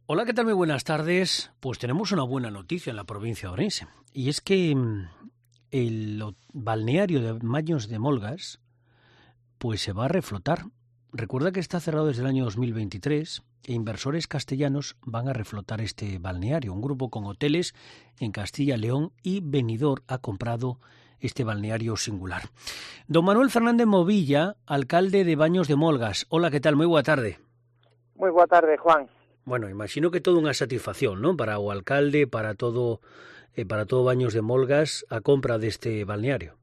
Hola, ¿qué tal? Muy buenas tardes. Pues tenemos una buena noticia en la provincia de Ourense. Y es que el balneario de Baños de Molgas pues se va a reflotar. Recuerda que está cerrado desde el año 2023 e inversores castellanos van a reflotar este balneario. Un grupo con hoteles en Castilla y León y Benidorm ha comprado este balneario singular. Don Manuel Fernández Movilla, alcalde de Baños de Molgas. Hola, ¿qué tal? Muy boa tarde. Moi boa tarde, Juan. Bueno, imagino que todo unha satisfacción, ¿no? Para o alcalde, para todo Baños de Molgas, a compra deste balneario.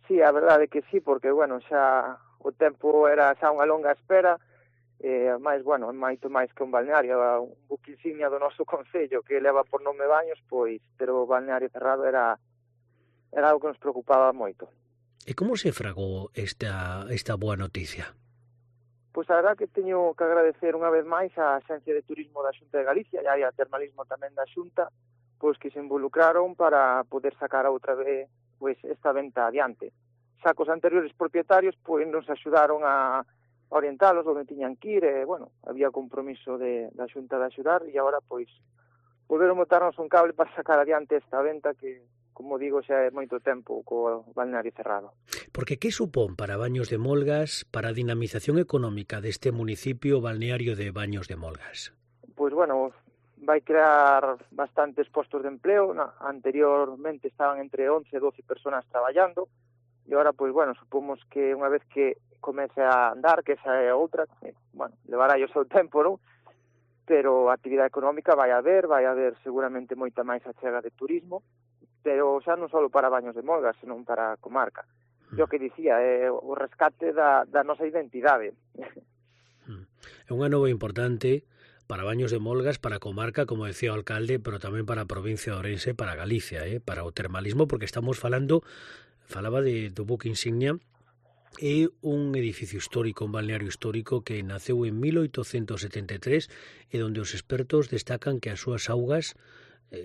Sí, a verdade é que sí, porque, bueno, xa o tempo era xa unha longa espera, máis, bueno, moito máis que un balneario, un buque insignia do noso concello que leva por nome Baños, pois ter o balneario cerrado era algo que nos preocupaba moito. E como se fragou esta boa noticia? Pois a verdade que teño que agradecer unha vez máis á Axencia de Turismo da Xunta de Galicia e a Termalismo tamén da Xunta, pois que se involucraron para poder sacar outra vez pois esta venta adiante. Xa cos anteriores propietarios pois nos axudaron a orientalos onde tiñan que ir, e, bueno, había compromiso da Xunta de axudar e agora pois poderon botarnos un cable para sacar adiante esta venta que, como digo, xa é moito tempo co balneario cerrado. Porque que supón para Baños de Molgas, para a dinamización económica deste municipio balneario de Baños de Molgas? Pois, bueno, vai crear bastantes postos de empleo. Anteriormente estaban entre 11 e 12 personas traballando e agora, pois, bueno, supomos que unha vez que comece a andar, que esa é outra, bueno, levará o seu tempo, non? Pero a actividade económica vai haber seguramente moita máis achega de turismo, pero xa non só para Baños de Molgas, senón para a comarca. O que dicía, é o rescate da nosa identidade. É unha nova importante para Baños de Molgas, para a comarca, como decía o alcalde, pero tamén para a provincia de Ourense, para Galicia, para o termalismo, porque estamos falaba do buque insignia. É un edificio histórico, un balneario histórico que naceu en 1873 e onde os expertos destacan que as súas augas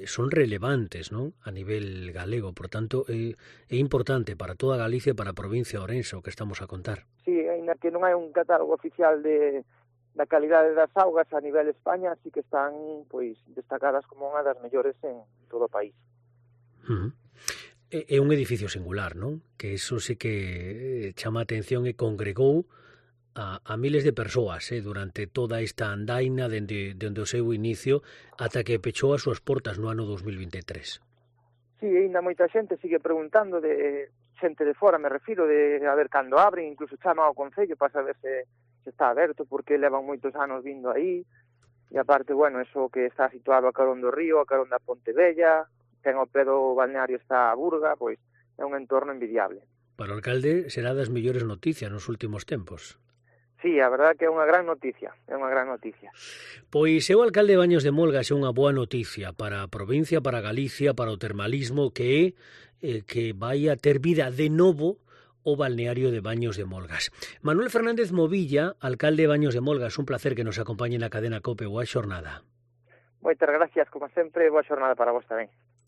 son relevantes, non? A nivel galego, por tanto é importante para toda Galicia e para a provincia de Ourense o que estamos a contar. Sí, ainda que non hai un catálogo oficial da calidade das augas a nivel España, sí que están pois destacadas como unha das mellores en todo o país. É un edificio singular, non? Que iso sí que chama a atención e congregou a miles de persoas durante toda esta andaina dende o seu inicio ata que pechou as súas portas no ano 2023. Sí, ainda moita xente sigue preguntando, de xente de fora, me refiro, de a ver cando abren, incluso chama ao Concello para saber se está aberto, porque levan moitos anos vindo aí, e aparte, bueno, eso que está situado a carón do río, a carón da Ponte Vella, ten ao pé do balneario está a Burga, pois é un entorno envidiable. Para o alcalde será das mellores noticias nos últimos tempos. Sí, a verdade que é unha gran noticia, Pois o alcalde de Baños de Molgas é unha boa noticia para a provincia, para Galicia, para o termalismo, que é que vai a ter vida de novo o balneario de Baños de Molgas. Manuel Fernández Movilla, alcalde de Baños de Molgas, un placer que nos acompañe na cadena COPE. Boa xornada. Moitas gracias, como sempre, boa xornada para vos tamén.